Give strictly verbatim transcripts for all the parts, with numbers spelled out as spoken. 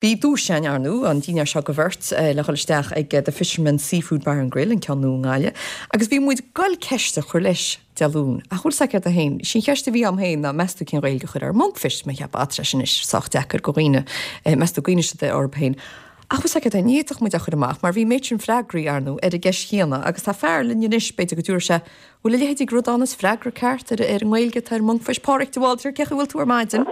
Bhí duais againn ar ndóigh, an dinnéar seo do bheirt le dhul isteach ag The Fisherman's Seafood Bar and Grill, an ceann nua i nGaillimh, agus bhí muid ag goil ceist a chur leis Dé Luain. Ach bhfuil 's agat féin, sí an cheist a bhí agam féin ná meas tú cén Ghaeilge a chuirfeá ar monkfish, mé cheap tá sé sin anois sách deacair do dhaoine, meas tú gcuimhneoidh siad orthu féin. Ach bhfuil 's agat féin, ní fhéadfadh muid a chur amach mar bhí méid sin freagraí ar ndóigh ar an gceist chéanna agus tá fear linn anois, b'fhéidir go dtabharfaidh sé, bhfuil a leithéid ag rud ann is freagra ceart ar ar an nGaeilge atá ar monkfish. Páraic de Bhaldraithe, cén chaoi a bhfuil tú ar maidin?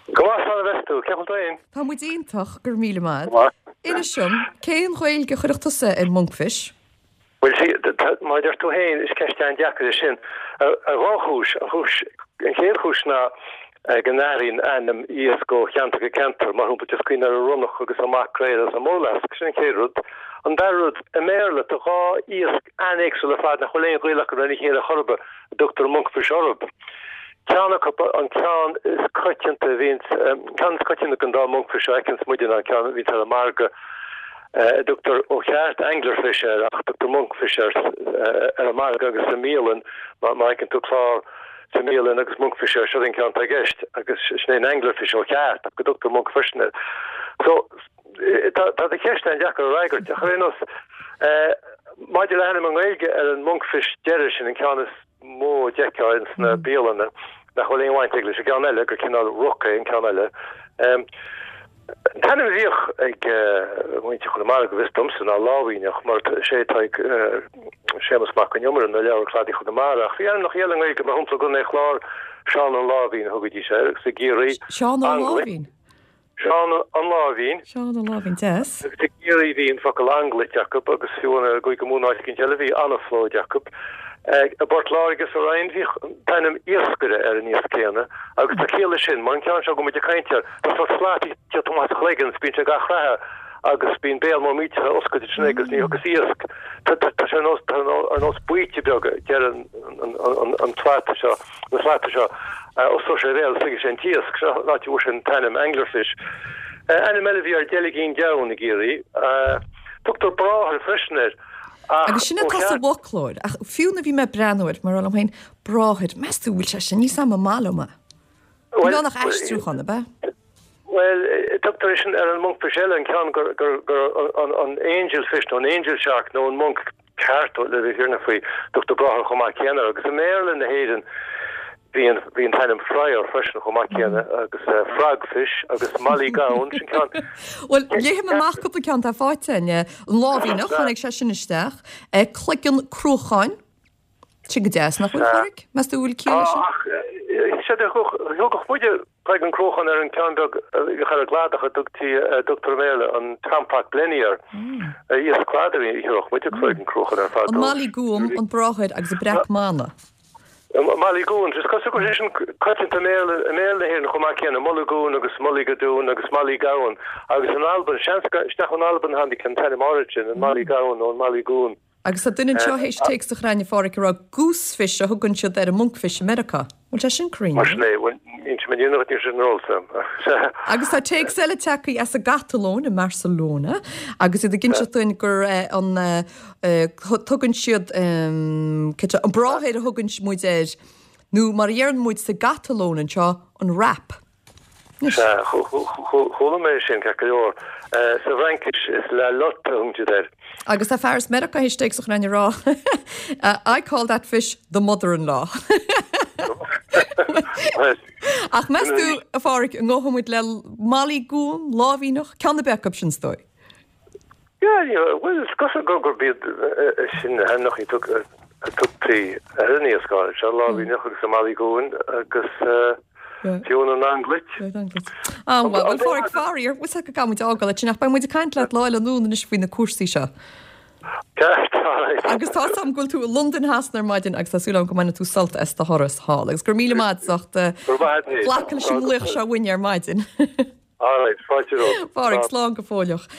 Go maith, slán a bheas tú. Cén chaoi a bhfuil tú féin? Tá muid iontach, go raibh míle maith. Go maith. Inis dom, cén Ghaeilge a chuirfeadh tusa ar monkfish? Bhuel, sí, mar a deir tú féin, is ceist an-deacair é sin. Ar dhá chúis. An chúis, an chéad chúis ná go n-athraíonn ainm iasc ó cheantar go ceantar. Mar shampla, just cuimhnigh ar an ronnach agus an maicréal agus an murlasc. Sin an chéad rud. An dara rud, i mBéarla, tá dhá iasc an-éagsúil ar fad nach bhfuil aon ghaol acu lena chéile chor ar bith, a dtugtar monkfish orthu. Ceann acu, an ceann is coitianta a bhíonns, ceann is coitianta den dá monkfish a fheiceanns muide ná an ceann a bhíonns ar an margadh, a dtugtar ó cheart anglerfish air ach tugtar monkfish air ar an margadh agus sa mbialann, má fheiceann tú clár sa mbialann agus monkfish air, seo an ceann atá i gceist agus sin é an anglerfish ó cheart ach go dtugtar monkfish air. So, tá tá do cheist an-deacair a fhreagairt ach ar aon nós, maidir le hainm i nGaeilge ar an monkfish deiridh sin, an ceann is mó a d'fheicfeá ins na bialanna, nach bhfuil aon bhaint aige leis an gceann eile, gur cineál roc é an ceann eile. An t-ainm a bhíodh ag muintir Chonamara, go bhfios domsa, ná lámhainneach, mar is é atá ag Séamus Mac Con Iomaire ina leabhar Cladaí Chonamara. Ach bhí ainmneacha eile i nGaeilge, mar shampla, i gContae an Chláir, Seán an Láimhín a thugaidís air, agus i gCiarraí, Seán Ó Láimhín? Seán an Láimhín. Seán an Láimhín, deas. Agus i gCiarraí bhí an focal anglait acu agus fiú i gCúige Mumhan áit éicint eile bhí anaphlóid acu. I bPort Láirge sa Rinn bhíodh an t-ainm iascaire ar an iasc céanna agus tá ciall leis sin mar an ceann seo go bhfuil muid ag caint air, tá sórt slat ag tíocht amach as a chloigeann is bíonn sé ag athchreathadh agus bíonn béal mór millteach oscailte ansin aige agus ní thiocfas iasc. Tá sé ar nós ar nós baoite beag ag deireadh an tslata seo. na slata seo, osclóidh sé a bhéal, sroichfidh sé an t-iasc. Seo an áit a bhfuair sé an t-ainm anglerfish. Ainm eile a bhí air deilgín donn i gCiarraí. Tugtar bráthair freisin air, ach Agus sin ó atá sa cheart. bhfoclóir, ach fiú nuair a bhí mé ag breathnú air, mar a rá liom féin, bráthair, meas tú bhfuil sé sin níos am an maith liom é? Bhuel, Níl ann ach aistriúchán, ab ea? Bhuel, tugtar é sin ar an monkfish eile, an ceann gur, gur, gur an, an angelfish nó an angel shark nó an monk ceart le bheith fírinneach faoi, tugtar bráthair chomh maith céanna air. Agus i mBéarla na hÉireann bhí an, bhí an t-ainm fryer freisin chomh maith céanna agus frogfish agus mollygowan, sin ceann. Bhuel, léifidh mé amach cúpla ceann atá faighte againn. An láimhíneach, tháinig sé sin isteach. Cloigeann cruacháin, sin go deas, nach bhfuil, a Pháraic? Meas tú an bhfuil ciall leis sin? Tá, ach sea, thugadh muide Cloigeann cruacháin ar an gceann beag a bhíodh ar an gcladach a dtugtaí, a dtugtar i mBéarla an tompat blenny air. Iasc cladaigh a thabharfadh muide cloigeann cruacháin air fadó. An Mollygoon, an bráthair agus an breac manna. Mollygoon, is cosúil go bhfuil sé sin coitianta i mBéarla, i mBéarla na hÉireann chomh maith céanna, Mulligoon agus Mullygadoon agus Mollygowan agus in Albain, seans nach in Albain a tháinig an t-ainm áirid sin, an Mollygowan nó an Mollygoon. Agus tá duine anseo théis téacs a chur chugainn, a Pháraic, ag rá goosefish a thugann siad ar an monkfish i Meiriceá. Bhfuil sé sin cruinn? Mar sin é, bhuel, inse mé níor níl sin ar eolas agam. Sea. Agus tá téacs eile tagtha as an gCatalóin, i mBarcelona, agus iad ag inseacht dúinn gur an tugann siad an bráthair a thugann muid air, nó mar a dheireann muid sa gCatalóin anseo, an rap. Sea, chuala mé sin, ceart go leor. Sa bhFraincis, is la lotte a thugann siad air. Agus tá fear as Meiriceá théis téacs a chur chugainn ag rá, I call that fish the mother-in-law. Ach meas tú, a Pháraic, an ngabhfaidh muid le Mollygoon, láimhíneach, ceann ar bith acu sin is dóigh? Yeah, bhuel, is cosúil gurb iad sin na hainmneacha a tugtaí ar an iasc áirid seo, láimhíneach agus an Mollygoon agus fiú an anglait. Ah, bhuel, bhuel, Páraic, faraor, bhfuil 's agat go gcaithfidh muid fhágáil ansin ach beidh muid ag caint leat lá eile anonn anois faoi na cúrsaí seo. Ceart, alright. Agus tá 's agam go bhfuil tú i Londain Shasana ar maidin agus tá súil agam go mbainfidh tú sult as do thuras thall. Agus go raibh míle maith agat as ucht glacadh leis an nglaoch seo uainn ar maidin. Alright, fáilte romhat. Páraic, slán go fóilleach.